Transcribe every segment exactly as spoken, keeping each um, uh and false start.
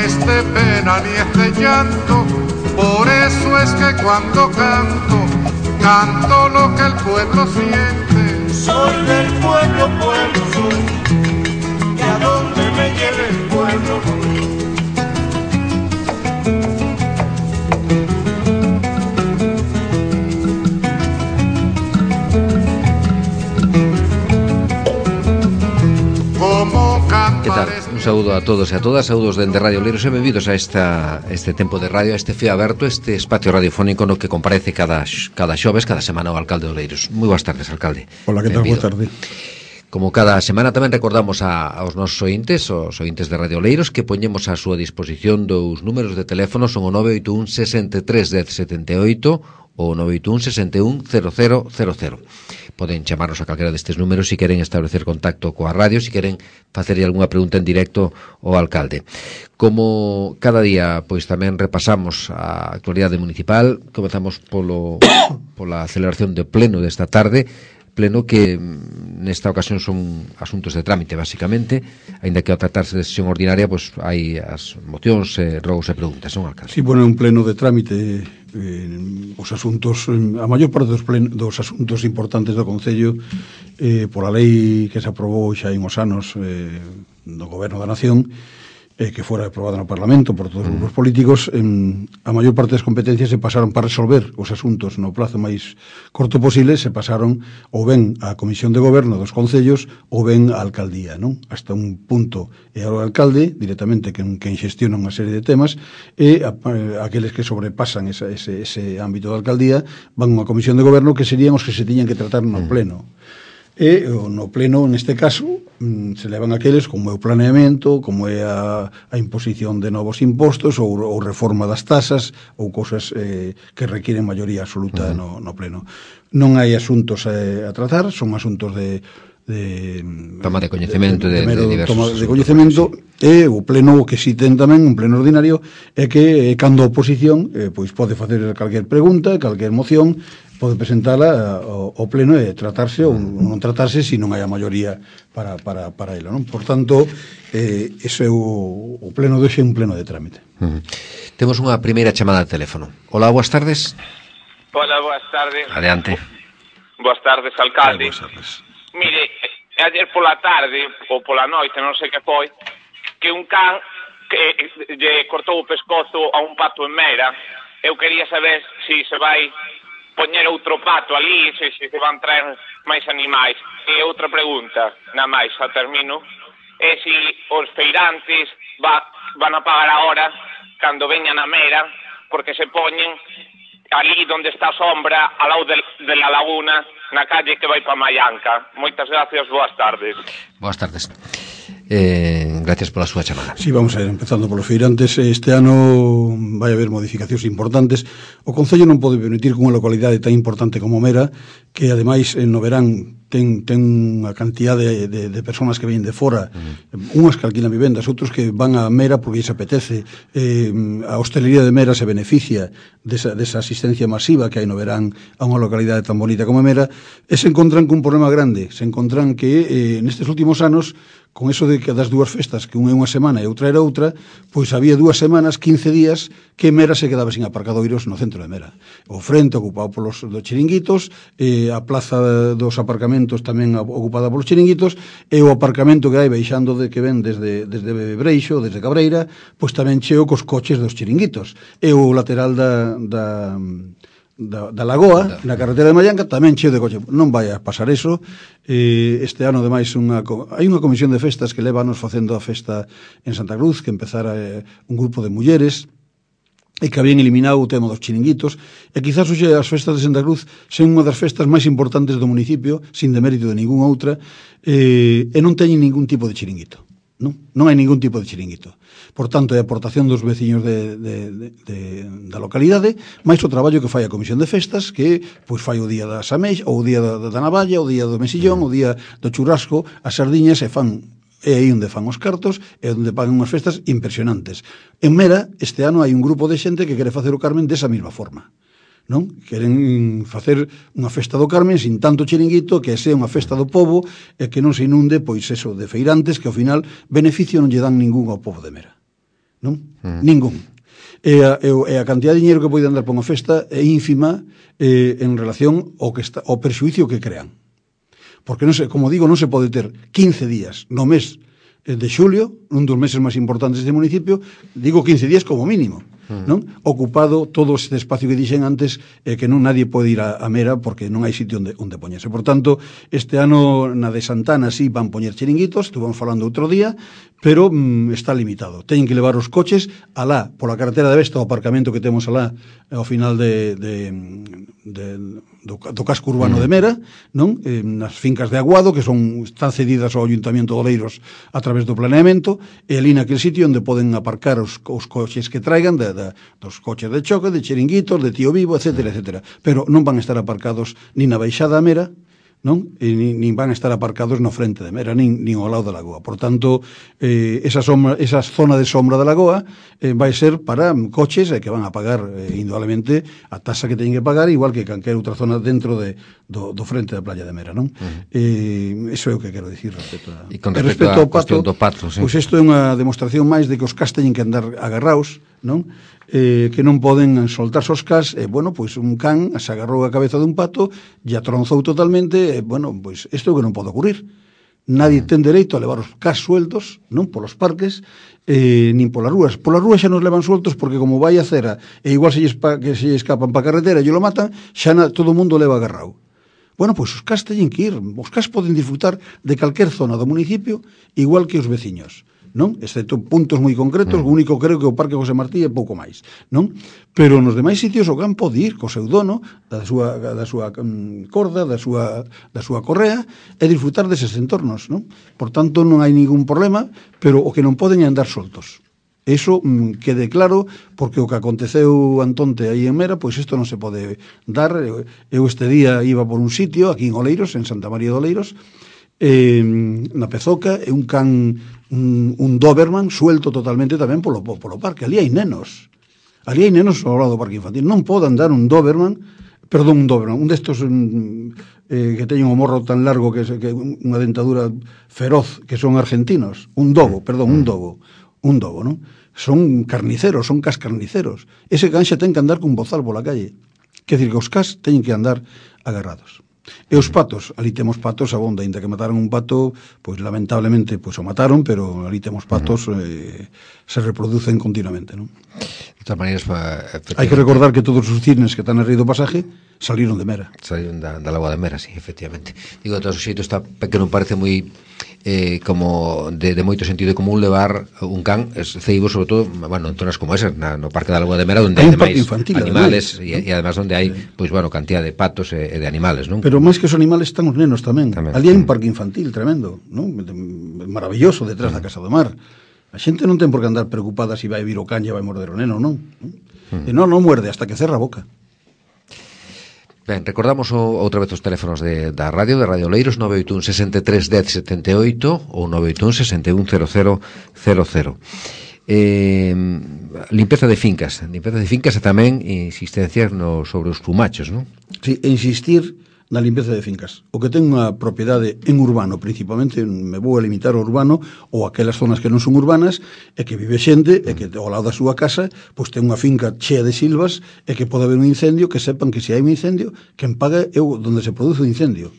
es de pena ni es de llanto, por eso es que cuando canto, canto lo que el pueblo siente. Soy del pueblo, pueblo soy, y a donde me lleve el pueblo voy. Que tal? Un saúdo a todos e a todas, saúdos dende Radio Oleiros e benvidos a esta, este tempo de radio, a este fío aberto, este espacio radiofónico no que comparece cada, cada xoves, cada semana o alcalde de Oleiros. Moi boas tardes, alcalde. Hola, que tal? Boa tarde. Como cada semana tamén recordamos a, aos nosos ointes, os ointes de Radio Oleiros, que poñemos a súa disposición dous números de teléfono, son o nove oito un sesenta e tres dez setenta e oito ou nove oito un sesenta e un cero cero cero cero. Poden chamarnos a calquera destes números se si queren establecer contacto coa radio, se si queren facerlle algunha pregunta en directo ao alcalde. Como cada día, pois tamén repasamos a actualidade municipal, comezamos polo, pola celebración do pleno desta tarde, pleno que nesta ocasión son asuntos de trámite, basicamente, aínda que ao tratarse de sesión ordinaria, pois hai as mocións, eh, rogos e preguntas, non, alcalde? Sí, bueno, un pleno de trámite, eh, os asuntos, a maior parte dos, plen, dos asuntos importantes do Concello, eh, pola lei que se aprobou xa en os anos eh, do Goberno da Nación, eh, que fora aprobada no Parlamento por todos os grupos políticos, en, a maior parte das competencias se pasaron para resolver os asuntos no plazo máis corto posible, se pasaron ou ben á Comisión de Goberno dos Concellos ou ben á Alcaldía, non? Hasta un punto é ao alcalde, directamente, quen, quen xestiona unha serie de temas, e a, a, aqueles que sobrepasan esa, ese, ese ámbito da Alcaldía van a unha Comisión de Goberno que serían os que se tiñan que tratar no pleno. E no pleno, neste caso, se levan aqueles como é o planeamento, como é a, a imposición de novos impostos ou, ou reforma das tasas ou cousas eh, que requieren maioría absoluta uh-huh. no, no pleno. Non hai asuntos eh, a tratar, son asuntos de de toma de coñecemento de, de, de, de diversos toma de coñecemento sí. E o pleno o que si ten tamén un pleno ordinario é que eh, cando a oposición eh, pois pode facer calquer pregunta, calquer moción, pode presentala ao, ao pleno e tratarse ou non tratarse se non hai a maioría para, para, para ela, non? Por tanto, eh, ese é o, o pleno de hoxe, un pleno de trámite. Uh-huh. Temos unha primeira chamada de teléfono. Hola, boas tardes. Hola, boas tardes. Adelante. Boas tardes, alcalde. Boas tardes. Mire, ayer pola tarde ou pola noite, non sei que foi, que un can que lle cortou o pescozo a un pato en Mera. Eu quería saber se si se vai poñer outro pato ali, se, se se van traer máis animais. E outra pregunta, na máis, xa termino, é se si os feirantes va, van a pagar agora cando veñan a Mera, porque se poñen ali onde está a sombra, ao lado de, de la laguna, na calle que vai para Maianca. Moitas gracias, boas tardes. Boas tardes. Eh, gracias pola súa chamada. Sí, vamos a ir empezando polos feirantes. Este ano vai haber modificacións importantes. O Concello non pode permitir que unha localidade tan importante como Mera, que ademais no verán ten, ten unha cantidad de, de, de personas que veñen de fora, uh-huh. unhas que alquilan vivendas, outros que van a Mera porque se apetece. Eh, a hostelería de Mera se beneficia desa, desa asistencia masiva que hai no verán a unha localidade tan bonita como Mera, e se encontran cun problema grande. Se encontran que eh, nestes últimos anos, con eso de que das dúas festas, que unha é unha semana e outra era outra, pois había dúas semanas, quince días, que Mera se quedaba sin aparcadoiros no centro de Mera. O frente ocupado polos dos chiringuitos, eh, a plaza dos aparcamentos tamén ocupada polos chiringuitos, e o aparcamento que hai baixando de que ven desde, desde Breixo, desde Cabreira, pois tamén cheo cos coches dos chiringuitos. E o lateral da... da Da, da Lagoa, na carretera de Maianca, tamén cheo de coche. Non vai a pasar eso. Eh, este ano, ademais, unha, hai unha comisión de festas que leva anos facendo a festa en Santa Cruz, que empezara eh, un grupo de mulleres, e que habían eliminado o tema dos chiringuitos, e quizás hoxe as festas de Santa Cruz sen unha das festas máis importantes do municipio, sin demérito de ninguna outra, eh, e non teñen ningún tipo de chiringuito. Non, non hai ningún tipo de chiringuito. Por tanto, é a aportación dos veciños de, de, de, de, da localidade, máis o traballo que fai a Comisión de Festas, que pois fai o día das ameix, ou o día da, da navalla, o día do mesillón, o día do churrasco, as sardiñas, e fan, é aí onde fan os cartos, e onde pagan unhas festas impresionantes. En Mera, este ano hai un grupo de xente que quere facer o Carmen desa mesma forma. Non? Queren facer unha festa do Carmen sin tanto chiringuito, que sea unha festa do pobo e que non se inunde, pois eso, de feirantes que ao final beneficio non lle dan ningún ao pobo de Mera. non? Uh-huh. Ningún. E a, e a cantidad de dinheiro que pode andar por unha festa é ínfima eh, en relación ao, que está, ao perxuicio que crean. Porque, non se, como digo, non se pode ter quince días no mes de xulio, un dos meses máis importantes deste municipio, digo quince días como mínimo, non? Ocupado todo este espacio que dixen antes, eh, que non nadie pode ir a, a Mera porque non hai sitio onde, onde poñerse. Por tanto, este ano na de Santana sí van poñer chiringuitos, estuvamos falando outro día, pero mm, está limitado. Teñen que levar os coches alá, pola carretera de Vesta, o aparcamento que temos alá ao final de, de, de, do, do casco urbano mm. de Mera, non? Eh, nas fincas de Aguado, que son están cedidas ao Ayuntamiento de Oleiros a través do planeamento, e ali naquele sitio onde poden aparcar os, os coches que traigan de, de, dos coches de choque, de chiringuitos, de Tío Vivo, etcétera, etcétera. Pero non van a estar aparcados ni na baixada a Mera, non? E nin, nin van a estar aparcados no frente de Mera, nin, nin ao lado da lagoa. Por tanto, eh, esa, sombra, esa zona de sombra da lagoa eh, vai ser para coches eh, que van a pagar eh, indudablemente a tasa que teñen que pagar, igual que calquera outra zona dentro de, do, do frente da playa de Mera, non? Uh-huh. Eh, eso é o que quero dicir respecto a... E con respecto, respecto ao pato, do pato, sí. Pois isto é unha demostración máis de que os cas teñen que andar agarraos, non? Eh, que non poden soltarse os cas, e, eh, bueno, pois un can se agarrou a cabeza dun pato e atronzou totalmente, e, eh, bueno, pois isto é o que non pode ocurrir. Nadie ten dereito a levar os cas sueltos, non, polos parques, eh, nin polas rúas. Polas rúas xa nos levan sueltos porque como vai a cera, e igual se lles, pa, que se escapan para a carretera e lo matan, xa na, todo o mundo leva agarrado. Bueno, pois os cas teñen que ir. Os cas poden disfrutar de calquer zona do municipio igual que os veciños, non? Excepto puntos moi concretos, mm. o único creo que o Parque José Martí é pouco máis, non? Pero nos demais sitios o can pode ir co seu dono, da súa, da súa um, corda, da súa, da súa correa, e disfrutar deses entornos, non? Por tanto, non hai ningún problema, pero o que non poden é andar soltos. Eso mm, quede claro, porque o que aconteceu antonte aí en Mera, pois isto non se pode dar. Eu este día iba por un sitio, aquí en Oleiros, en Santa María de Oleiros, eh, na Pezoca, e un can, un, un Doberman suelto totalmente tamén polo, polo parque. Ali hai nenos, ali hai nenos ao lado do parque infantil. Non pode andar un Doberman, perdón, un Doberman, un destos um, eh, que teñen o morro tan largo que, que unha dentadura feroz, que son argentinos, un dogo, perdón, un dogo, un dogo, non? Son carniceros, son cas carniceros. Ese can xa ten que andar cun bozal pola calle. Quer dizer que os cas teñen que andar agarrados. E os patos, ali temos patos abonda, ainda que mataron un pato, pois lamentablemente pois o mataron, pero ali temos patos, eh, se reproducen continuamente, non? De todas maneiras, hai que recordar que todos os cisnes que están en río do Pasaje saliron de Mera. Saliron da, da lagoa de Mera, sí, efectivamente. Digo, de todos os xeitos, está que non parece moi eh, como de, de moito sentido común levar un can ceibo, sobre todo, bueno, en zonas como esas, na, no Parque da Lagoa de Mera, onde hai, hai demais animales, e, e además onde hai, pois, bueno, cantidad de patos e, e de animales, non? Pero máis que os animales están os nenos tamén. tamén. Ali hai un parque infantil tremendo, non? Maravilloso, detrás mm. da Casa do Mar. A xente non ten por que andar preocupada se si vai vir o can e vai morder o neno, non? Mm. E non, non muerde hasta que cerra a boca. Ben, recordamos o, outra vez os teléfonos de, da radio, de Radio Oleiros, nove oito un, seis tres, un cero, sete oito ou nove oito un, seis un, cero cero cero cero. Eh, limpeza de fincas, limpeza de fincas e tamén insistencia no, sobre os plumachos, non? Sí, insistir na limpeza de fincas. O que ten unha propiedade en urbano, principalmente, me vou a limitar ao urbano ou aquelas zonas que non son urbanas, e que vive xente, e que ao lado da súa casa, pois ten unha finca chea de silvas, e que pode haber un incendio, que sepan que se hai un incendio, quen paga é onde se produce o incendio.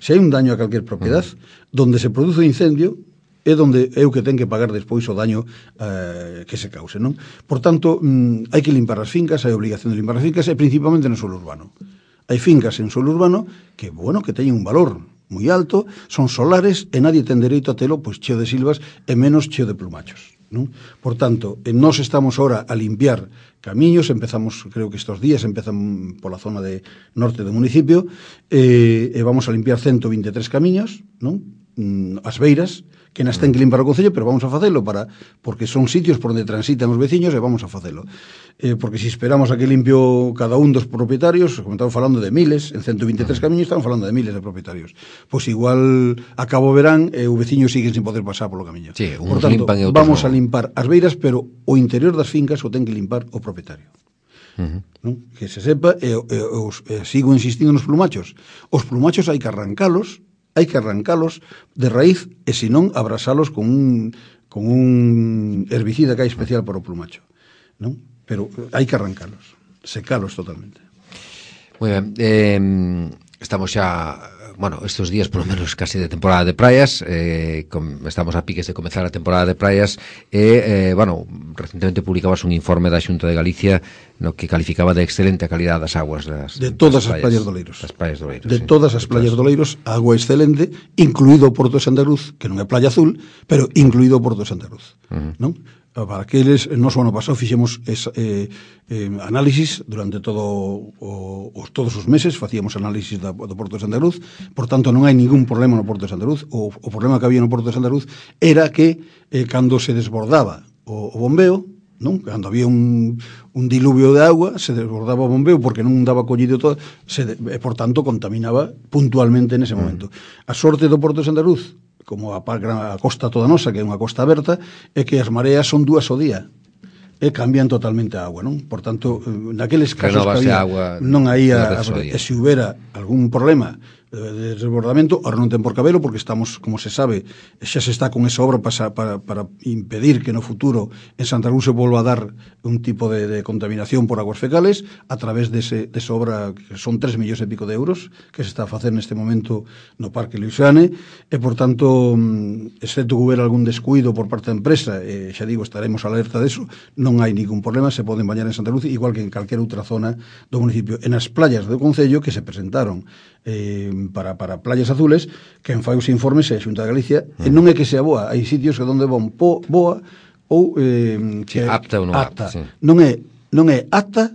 Se hai un daño a calquer propiedade, donde se produce o incendio, é donde é o que ten que pagar despois o daño eh, que se cause, non? Por tanto, mm, hai que limpar as fincas, hai obligación de limpar as fincas, e principalmente no suelo urbano. Hai fincas en suelo urbano que, bueno, que teñen un valor moi alto, son solares e nadie ten dereito a telo pois cheo de silvas e menos cheo de plumachos, non? Por tanto, nós estamos ahora a limpiar camiños, empezamos, creo que estos días empezan pola zona de norte do municipio, e, e vamos a limpiar ciento vinte e tres camiños, non? As beiras, que nas ten que limpar o Concello, pero vamos a facelo para, porque son sitios por onde transitan os veciños e vamos a facelo. Eh, porque se esperamos a que limpio cada un dos propietarios, como estamos falando de miles, en ciento vinte e tres camiños estamos falando de miles de propietarios. Pois igual a cabo verán e eh, o veciño sigue sin poder pasar polo camiño. Sí, por tanto, vamos a limpar as beiras, pero o interior das fincas o ten que limpar o propietario. Uh-huh. Non? Que se sepa, e, e, os, e sigo insistindo nos plumachos. Os plumachos hai que arrancalos, hai que arrancalos de raíz, e senón abrasalos con un, con un herbicida que hai especial para o plumacho, non? Pero hai que arrancalos, secalos totalmente. Moi ben, eh, estamos xa, bueno, estes días por lo menos casi de temporada de praias, eh, com, estamos a piques de comezar a temporada de praias e, eh, bueno, recentemente publicabas un informe da Xunta de Galicia no que calificaba de excelente a calidad das aguas das, de todas das as playas do Oleiros. Das playas do Oleiros, de sí. todas as playas do Oleiros, agua excelente, incluído o Porto de Santa Cruz, que non é playa azul, pero incluído o Porto de Santa Cruz, uh-huh. non? Para aqueles, nos o ano pasado fixemos esa, eh, eh, análisis durante todo o, os, todos os meses, facíamos análisis da, do Porto de Santa Cruz, por tanto non hai ningún problema no Porto de Santa Cruz. O, o problema que había no Porto de Santa Cruz era que eh, cando se desbordaba o, o bombeo, non? Cando había un, un diluvio de agua, se desbordaba o bombeo porque non daba collido todo, se, e por tanto contaminaba puntualmente nese momento. A sorte do Porto de Santa Cruz, como a, a costa toda nosa, que é unha costa aberta, é que as mareas son dúas ao día e cambian totalmente a agua, non? Por tanto, naqueles casos que había, agua, non había, e se houbera algún problema de desbordamento, ahora non ten por cabelo porque estamos, como se sabe, xa se está con esa obra para, para, para impedir que no futuro en Santa Cruz se volva a dar un tipo de, de contaminación por aguas fecales a través de, ese, de esa obra que son tres millóns e pico de euros que se está a facer neste momento no Parque Luisiane e por tanto, excepto que hubiera algún descuido por parte da empresa, e xa digo, estaremos alerta deso, non hai ningún problema, se poden bañar en Santa Cruz igual que en calquera outra zona do municipio. En as playas do Concello que se presentaron eh, para, para playas azules, quen fai os informes é a Xunta de Galicia, mm. e non é que sea boa, hai sitios que onde von po, boa ou eh, que sí, apta ou non apta, apta. Sí. Non é non é apta,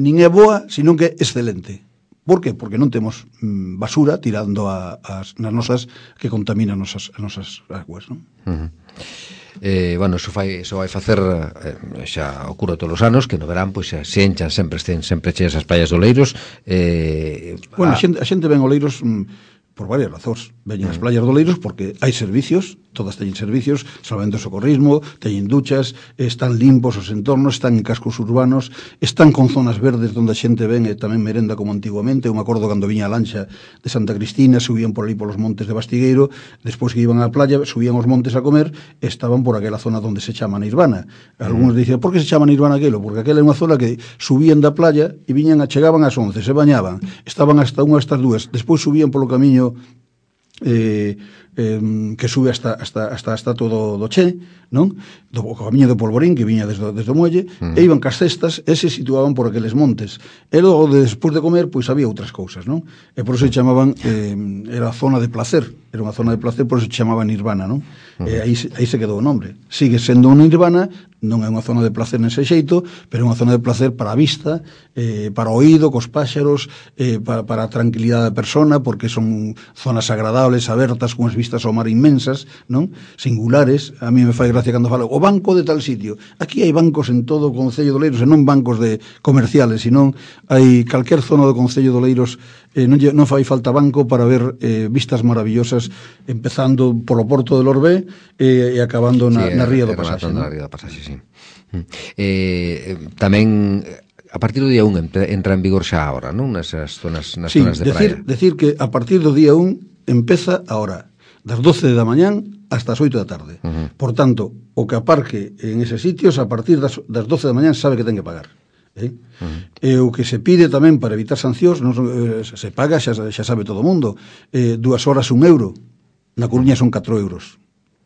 nin é boa, sino que é excelente. Por que? Porque non temos mm, basura tirando a, as, nas nosas que contaminan nosas, as nosas aguas, non? Uh-huh. Eh, bueno, eso fai, eso vai facer eh, xa ocurre todos os anos que no verán pois se enchan sempre, estén sempre cheas as playas do Oleiros. Eh, bueno, a, a xente, a xente ven Oleiros mm, por varias razóns. Veñen as playas do Oleiros porque hai servicios, todas teñen servicios, salvamento de socorrismo, teñen duchas, están limpos os entornos, están en cascos urbanos, están con zonas verdes onde a xente ven e tamén merenda como antiguamente. Eu me acordo cando viña a lancha de Santa Cristina, subían por ali polos montes de Bastigueiro, despois que iban á playa, subían os montes a comer, e estaban por aquela zona onde se chama Nirvana. Algunos dicen, por que se chama Nirvana aquilo? Porque aquela é unha zona que subían da playa e viñan a, chegaban ás once, se bañaban, estaban hasta unha hasta as dúas, despois subían polo camiño Eh, eh, que sube hasta, hasta, hasta, hasta todo do Che, non? Do camiño do Polvorín, que viña desde, desde o muelle, uh-huh. e iban cas cestas e se situaban por aqueles montes. E logo, de, despois de comer, pois había outras cousas, non? E por eso se chamaban, eh, era a zona de placer, era unha zona de placer, por eso se chamaba Nirvana, non? Uh-huh. E aí, aí se quedou o nombre. Sigue sendo unha Nirvana, non é unha zona de placer nese xeito, pero é unha zona de placer para a vista, eh, para o oído, cos páxaros, eh, para, para a tranquilidade da persona, porque son zonas agradables, abertas, con as vistas ao mar inmensas, non? Singulares. A mí me fai gracia cando falo o banco de tal sitio. Aquí hai bancos en todo o Concello de Oleiros, e non bancos de comerciales, sino hai calquer zona do Concello de Oleiros, eh, non, non fai falta banco para ver eh, vistas maravillosas, empezando polo Porto de Lorbé eh, e acabando na, sí, na Ría do Pasaxe. Na Ría do Pasaxe, sí. Eh, tamén a partir do día un entra en vigor xa ahora, non? Nesas zonas, nas sí, zonas de decir, praia. Decir que a partir do día un empeza ahora, das doce da mañán hasta as oito da tarde. Uh-huh. Por tanto, o que aparque en eses sitios a partir das, das doce da mañán sabe que ten que pagar. Eh? Uh-huh. E o que se pide tamén para evitar sancións, non, eh, se paga, xa, xa sabe todo o mundo, eh, dúas horas un euro, na Coruña son catro euros,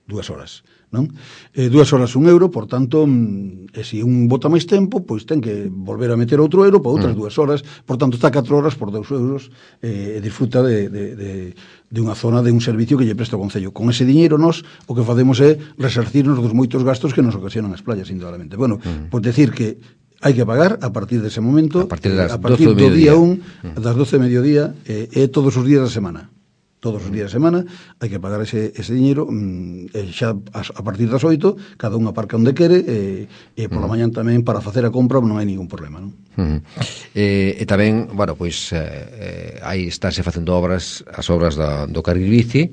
dúas horas. Non? Eh, dúas horas un euro, por tanto, mm, e se un bota máis tempo, pois ten que volver a meter outro euro para outras mm. dúas horas, por tanto está catro horas por dous euros eh, e disfruta de, de, de, de unha zona, de un servicio que lle presta o Concello. Con ese diñeiro nos o que facemos é resarcirnos dos moitos gastos que nos ocasionan as playas, indudablemente. Bueno, mm. pois decir que hai que pagar a partir dese momento, a partir, das a partir do día un, mm. das doce de mediodía, e eh, todos os días da semana. Todos os días de semana hai que pagar ese, ese diñeiro, mmm, e xa a, a partir das oito cada un aparca onde quere, e, e por la mañán tamén para facer a compra non hai ningún problema, non? Uh-huh. E, e tamén, bueno, pois eh, aí estáse facendo obras, as obras do, do carril bici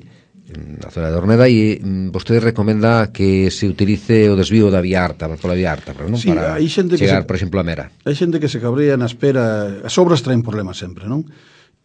na zona de Orneda, e mm, vostede recomenda que se utilice o desvío da Vía Arta, pola Vía Arta, pero non sí, para chegar, se, por exemplo, a Mera. Hai xente que se cabrea na espera, as obras traen problemas sempre, non?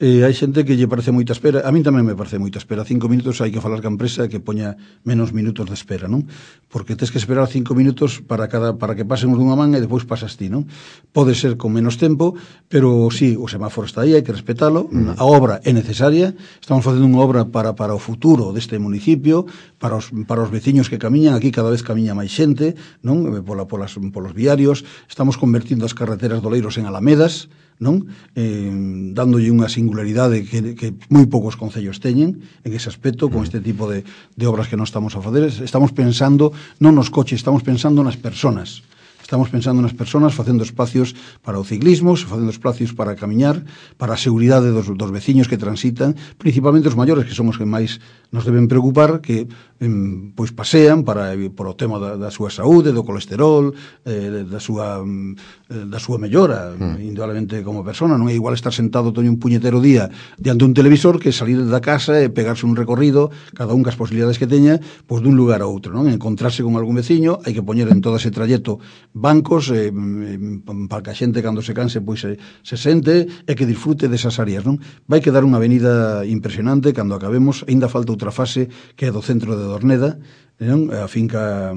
Eh, hai xente que lle parece moita espera, a min tamén me parece moita espera. Cinco minutos hai que falar ca empresa que poña menos minutos de espera, non? Porque tes que esperar cinco minutos para cada para que pasen os dunha man e depois pasas ti, non? Pode ser con menos tempo, pero sí, o semáforo está aí, hai que respetalo. Mm. A obra é necesaria, estamos facendo unha obra para, para o futuro deste municipio, para os, para os veciños que camiñan, aquí cada vez camiña máis xente, non? Pola, polas, polos viarios, estamos convertindo as carreteras do Oleiros en alamedas, non? Eh, dándolle unha singularidade que, que moi poucos concellos teñen en ese aspecto, con este tipo de, de obras que non estamos a facer. Estamos pensando non nos coches, estamos pensando nas persoas. Estamos pensando nas persoas, facendo espacios para o ciclismo, facendo espacios para camiñar, para a seguridade dos, dos veciños que transitan, principalmente os maiores, que son os que máis nos deben preocupar, que em, pois pasean para por o tema da, da súa saúde, do colesterol, eh, da súa da súa mellora, mm. indudablemente como persona. Non é igual estar sentado todo un puñetero día diante un televisor que salir da casa e pegarse un recorrido, cada un cas posibilidades que teña, pois dun lugar a outro, non? Encontrarse con algún veciño, hai que poñer en todo ese trayecto bancos eh, para que a xente cando se canse pois se, se sente e que disfrute desas áreas, non? Vai quedar unha avenida impresionante cando acabemos. Aínda falta outra fase que é do centro de Dorneda, non? A finca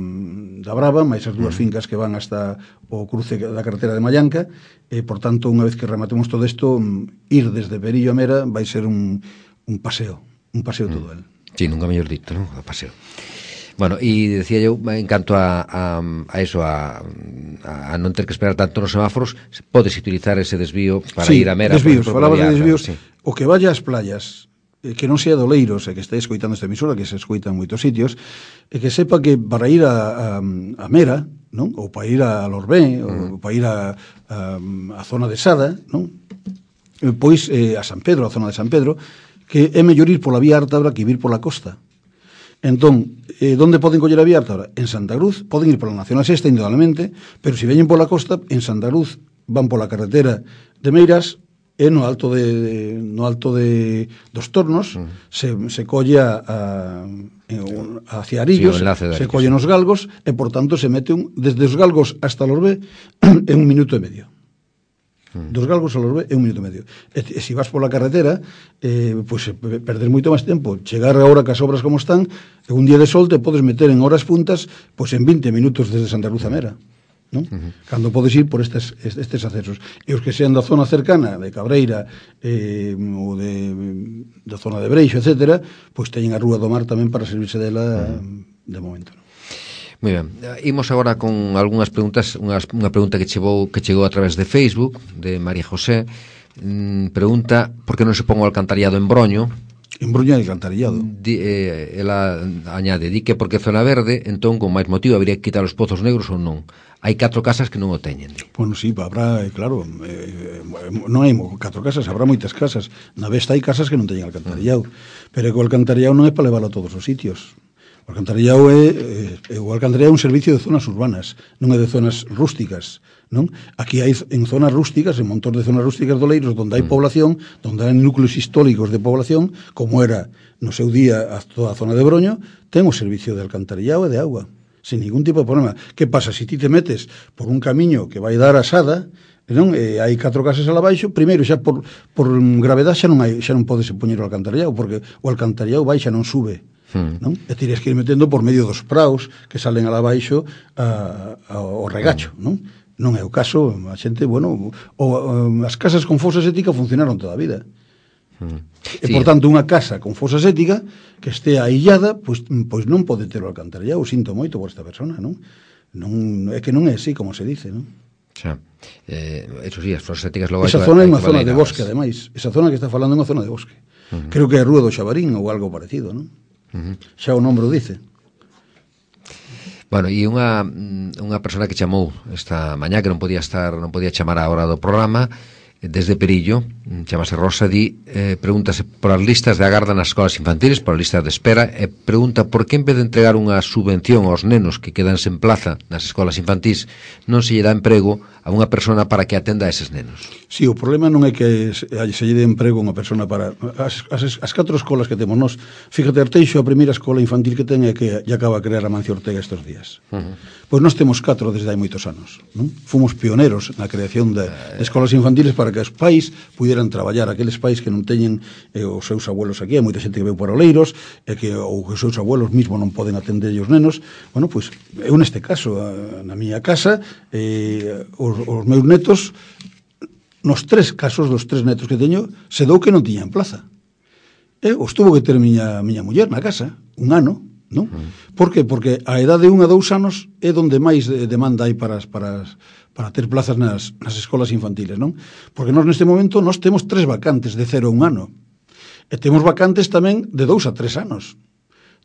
da Brava, máis as dúas fincas que van hasta o cruce da carretera de Mallanca, e por tanto unha vez que rematemos todo isto, ir desde Perillo a Mera vai ser un, un paseo un paseo todo el. Sí, nunca mellor dito, non? O paseo. Bueno, e decía eu, en canto a, a, a eso, a, a non ter que esperar tanto nos semáforos, podes utilizar ese desvío para sí, ir a Mera. Desvíos, falaba de desvíos, sí. O que vaya ás playas, eh, que non sea de Oleiros, e que estáis escoitando esta emisora, que se escoita en moitos sitios, e que sepa que para ir a, a, a Mera, non? Ou para ir a Lorbé, mm. ou para ir a, a, a zona de Sada, non? Pois eh, a San Pedro, a zona de San Pedro, que é mellor ir pola vía Ártabra que ir pola costa. Entón, eh, onde poden coller a vía Ártabra? En Santa Cruz, poden ir pola Nacional Sexta, indudablemente, pero se veñen pola costa, en Santa Cruz van pola carretera de Meiras, e no alto de no alto de dos Tornos mm. se, se colle a, a, hacia Arillos, sí, se collen os galgos, e por tanto se mete un, desde os galgos hasta Lorbé en un minuto e medio. Dos galgos a Lorbé é un minuto e medio. E, e se vas pola carretera, eh, pois pues, perder moito máis tempo. Chegar agora que as obras como están, un día de sol te podes meter en horas puntas, pois pues en vinte minutos desde Santa Cruz a Mera, non? Uh-huh. Cando podes ir por estes, estes accesos. E os que sean da zona cercana, de Cabreira, eh, ou de, da zona de Breixo, etcétera, pois pues teñen a Rúa do Mar tamén para servirse dela uh-huh. de momento, non? Moi ben, imos agora con algunhas preguntas. Unha, unha pregunta que chegou que chegou a través de Facebook, de María José. Mm, pregunta por que non se pon o alcantarillado en Broño. En Broño hai alcantarillado. Di, eh, ela añade, di que porque zona verde, entón con máis motivo habría que quitar os pozos negros ou non. Hai catro casas que non o teñen. Di. Bueno, sí, habrá, claro, eh, non hai catro casas, habrá moitas casas. Na Vesta hai casas que non teñen alcantarillado, mm. pero o alcantarillado non é para leválo a todos os sitios. O alcantarillado é, é, o alcantarillado é un servicio de zonas urbanas, non é de zonas rústicas, non? Aquí hai en zonas rústicas, en montón de zonas rústicas do Oleiros, onde hai mm. población, onde hai núcleos históricos de población, como era no seu día a toda a zona de Broño, ten o servicio de alcantarillado e de agua, sin ningún tipo de problema. Que pasa? Se ti te metes por un camiño que vai dar a Sada, non? E hai catro casas ala baixo, primeiro xa por, por gravedade xa non hai, xa non podes poñer o alcantarillado, porque o alcantarillado vai xa non sube. Non? E tiras que ir metendo por medio dos praus que salen ala baixo a, a, ao regacho, non? Non é o caso, a xente, bueno, o, o, as casas con fosa séptica funcionaron toda a vida. Mm. E, sí. Por tanto, unha casa con fosa séptica que este aillada, pois, pois non pode ter o alcantarillado. O sinto moito por esta persona, non? non? É que non é así como se dice, non? Xa. Eh, eso sí, as fosas sépticas logo... Esa zona é unha zona de bosque, ademais. Esa zona que está falando é unha zona de bosque. Uh-huh. Creo que é a Rúa do Xabarín ou algo parecido, non? Uh-huh. Xa o nombre o dice. Bueno, e unha unha persona que chamou esta mañá que non podía estar, non podía chamar a hora do programa desde Perillo, chamase Rosa, di, eh, pregúntase por as listas de agarda nas escolas infantiles, por as listas de espera, e pregunta por que en vez de entregar unha subvención aos nenos que quedan sen plaza nas escolas infantís, non se lle dá emprego a unha persona para que atenda a eses nenos. Sí, o problema non é que se, se lle de emprego a unha persona para... As, as, as catro escolas que temos nós, fíjate, Arteixo, a primeira escola infantil que ten é que lle acaba a crear a Mancio Ortega estes días. Uh-huh. Pois nós temos catro desde hai moitos anos. Non? Fomos pioneros na creación de, de escolas infantiles para que os pais puderan traballar, aqueles pais que non teñen eh, os seus abuelos aquí, hai moita xente que veu para Oleiros, e que ou que os seus abuelos mismo non poden atender os nenos. Bueno, pois, eu neste caso, na miña casa, eh, os, os meus netos, nos tres casos dos tres netos que teño, se dou que non tiñan plaza. E os tuvo que ter miña, miña muller na casa, un ano, non? Mm. Por que? Porque a edade de un a dous anos é onde máis demanda hai para, para, para ter plazas nas, nas escolas infantiles, non? Porque nós neste momento nós temos tres vacantes de cero a un ano. E temos vacantes tamén de dous a tres anos.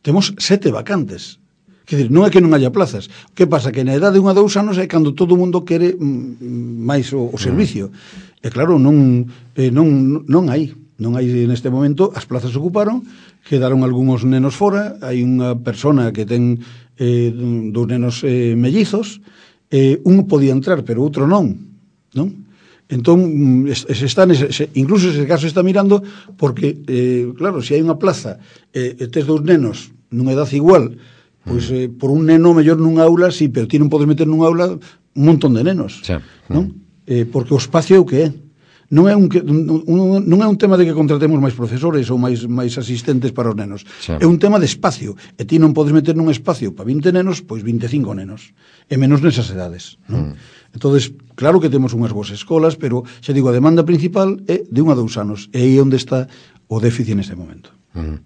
Temos sete vacantes. Quer dizer, non é que non haya plazas. O que pasa? Que na edade de un a dous anos é cando todo o mundo quere mm, máis o, o servicio. E claro, non, eh, non, non hai. Non hai neste momento, as plazas ocuparon, quedaron algúns nenos fora, hai unha persona que ten eh, dos nenos eh, mellizos, eh, un podía entrar, pero outro non, non? Entón, se está nese, se, incluso ese caso está mirando, porque, eh, claro, se hai unha plaza e eh, tes dous nenos nunha edad igual, pois eh, por un neno mellor nunha aula, sí, pero ti non podes meter nunha aula un montón de nenos, sí. Non? Eh, porque o espacio é o que é. Non é un, un, non é un tema de que contratemos máis profesores ou máis, máis asistentes para os nenos. Sí. É un tema de espacio. E ti non podes meter nun espacio para vinte nenos, pois vinte e cinco nenos. E menos nesas edades. Non? Mm. Entonces, claro que temos unhas boas escolas, pero, xa digo, a demanda principal é de un a dous anos. E aí onde está o déficit neste momento. Mm.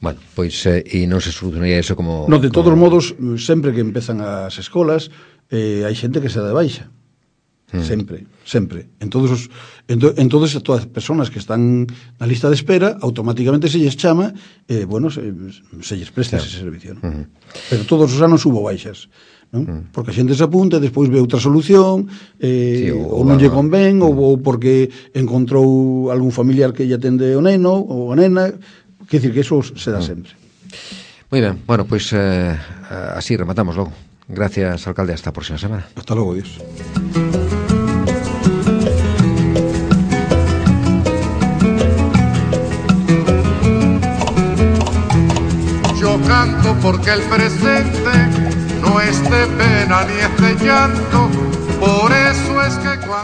Bueno, pois, eh, e non se solucionaría eso como... No, de todos como... modos, sempre que empezan as escolas, eh, hai xente que se dá de baixa. Mm. Sempre, sempre. En todos os, en, to, en todas as persoas que están na lista de espera, automáticamente se lles chama, eh, bueno, se, se lles presta sí. ese servicio, ¿no? Mm. Pero todos os anos hubo baixas, ¿no? Mm. Porque a xente se apunta, despois ve outra solución, eh, sí, ou, ou non lle convén, mm. ou, ou porque encontrou algún familiar que lle atende o neno ou a nena, quer dicir que eso se dá mm. sempre. Moi ben, bueno, pois eh, así rematamos logo. Gracias, alcalde, hasta a próxima semana. Hasta logo, Dios. Yo canto porque el presente no es de pena ni es de llanto, por eso es que cuando